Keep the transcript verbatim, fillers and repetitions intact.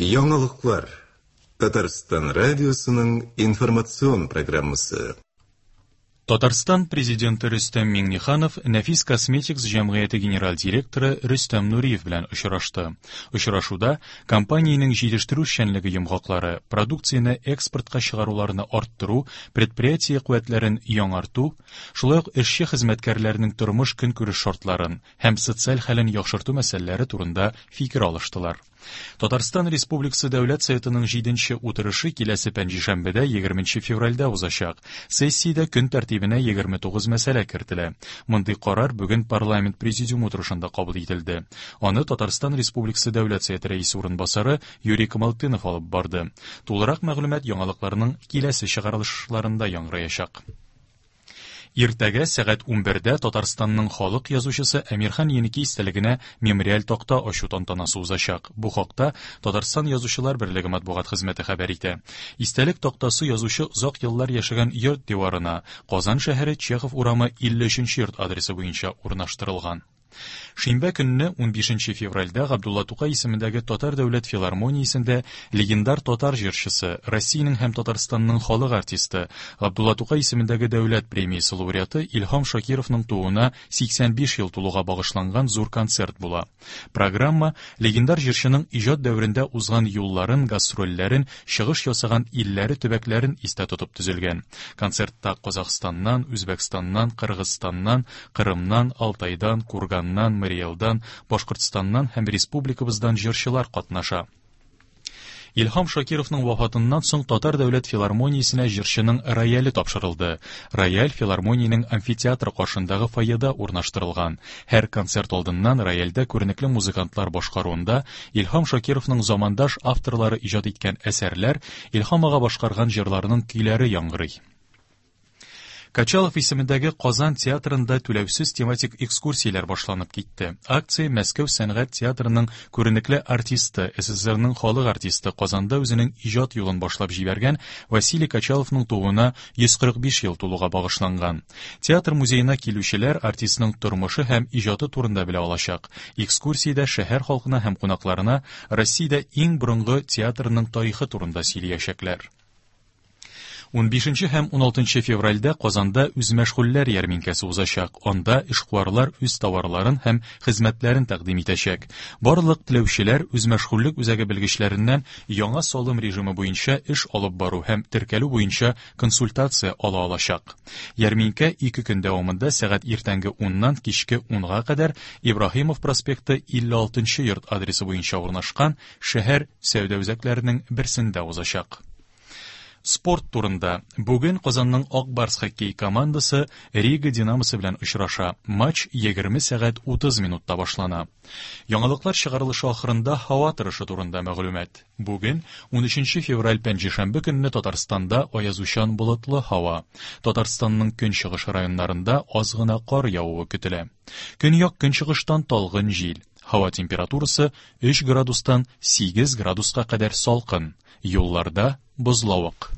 Яңалыклар. Татарстан радиосының информацион программасы. Татарстан президенты Рөстәм Миңнеханов Нәфис Косметикс җәмгыяте генераль директоры Рөстәм Нуриев белән очрашты. Очрашуда компаниянең җитештерү эшчәнлеге йомгаклары, продукцияне экспортка чыгаруларны арттыру, предприятие куәтләрен яңарту, шулай ук эшче хезмәткәрләрнең тормыш көнкүреш шартларын һәм социаль хәлен яхшырту мәсьәләләре турында фикер алыштылар. Татарстан Республикасы Дәүләт Советының җиденче утырышы киләсе пәнҗешәмбедә егерменче февральдә узачак. Сессиядә көн тәртибенә егерме тугыз мәсьәлә кертелә. Мондый карар бүген парламент президиум утырышында кабул ителде. Аны Татарстан Республикасы Дәүләт Советы рәисе урынбасары Юрий Камалтынов алып барды. Тулырак мәгълүмат яңалыкларның киләсе чыгарылышларында яңгыраячак. Иртәгә сәгать унбердә Татарстанның халык язучысы Әмирхан Еники истәлегенә мемориаль такта ачу тантанасы узачак. Бу хакта Татарстан Язучылар берлеге матбугат хезмәте хәбәр итә. Истәлек тактасы язучы озак еллар яшәгән йорт диварына Казан шәһәре Чехов урамы илле өченче йорт адресы буенча урнаштырылган. Шимбә көнне унбишенче февральдә Габдулла Тукай исемендәге Татар дәүләт филармониясендә легендар татар җырчысы, Россиянең һәм Татарстанның халык артисты, Габдулла Тукай исемендәге дәүләт премиясе лауреаты Илһам Шакировның тууына сиксән биш ел тулуга багышланган зур концерт була. Программа легендар җырчының иҗат дәверендә узган юлларын, гастрольләрен, чыгыш ясаган илләре, төбәкләрен истә тотып төзелгән. Концертта Казахстаннан, Үзбәкстаннан, Кыргызстаннан, Кырымнан, Алтайдан, Курганнан, Мариэлдан, Башкортстаннан һәм республикабыздан җырчылар катнаша. Илһам Шакировның вафатыннан соң Татар дәүләт филармониясенә җырчының рояле тапшырылды. Рояль филармониянең амфитеатры каршындагы фойеда урнаштырылган. Һәр концерт алдыннан рояльдә күренекле музыкантлар башкаруында Илһам Шакировның замандаш авторлары иҗат иткән әсәрләр, Илһам ага башкарган җырларының көйләре яңгырый. Качалов исемендәге Казан театрында түләүсез тематик экскурсияләр башланып китте. Акция Мәскәү сәнгать театрының күренекле артисты, СССРның халык артисты Казанда үзенең иҗат юлын башлап җибәргән Василий Качаловның тууына йөз кырык биш ел тулуга багышланган. Театр музеена килүчеләр артистның тормышы һәм иҗаты турында белә алачак. Экскурсиядә шәһәр халкына һәм кунакларына Россиядә иң борынгы театрның тарихы турында сөйләячәкләр. Унбишенче һәм уналтынчы февральдә Казанда үзмәшгульләр ярминкәсе узачак. Анда эшкуарлар үз товарларын һәм хезмәтләрен тәкъдим итәчәк. Барлык теләүчеләр үзмәшгульлек үзәге белгечләреннән яңа салым режимы буенча эш алып бару һәм теркәлү буенча консультация ала алачак. Ярминкә ике көн дәвамында сәгать иртәнге уннан кичке унга кадәр Ибраһимов проспекты илле алтынчы йорт адресы буенча урнашкан шәһәр сәүдә үзәкләренең берсендә узачак. Спорт турында. Бүген Казанның Ак Барс хоккей командасы Рига Динамосы белән очраша. Матч егерме сәгать утыз минутта башлана. Яңалыклар чыгарылышы ахырында һава торышы турында мәгълүмат. Бүген унөченче февраль пәнҗешәмбе көнне Татарстанда аязучан болытлы һава. Татарстанның көнчыгыш районнарында аз гына кар явуы көтелә. Көньяк көнчыгыштан талгын җил. Һава температурасы өч градустан сигез градуска кадәр салкын. Юлларда бозлавык.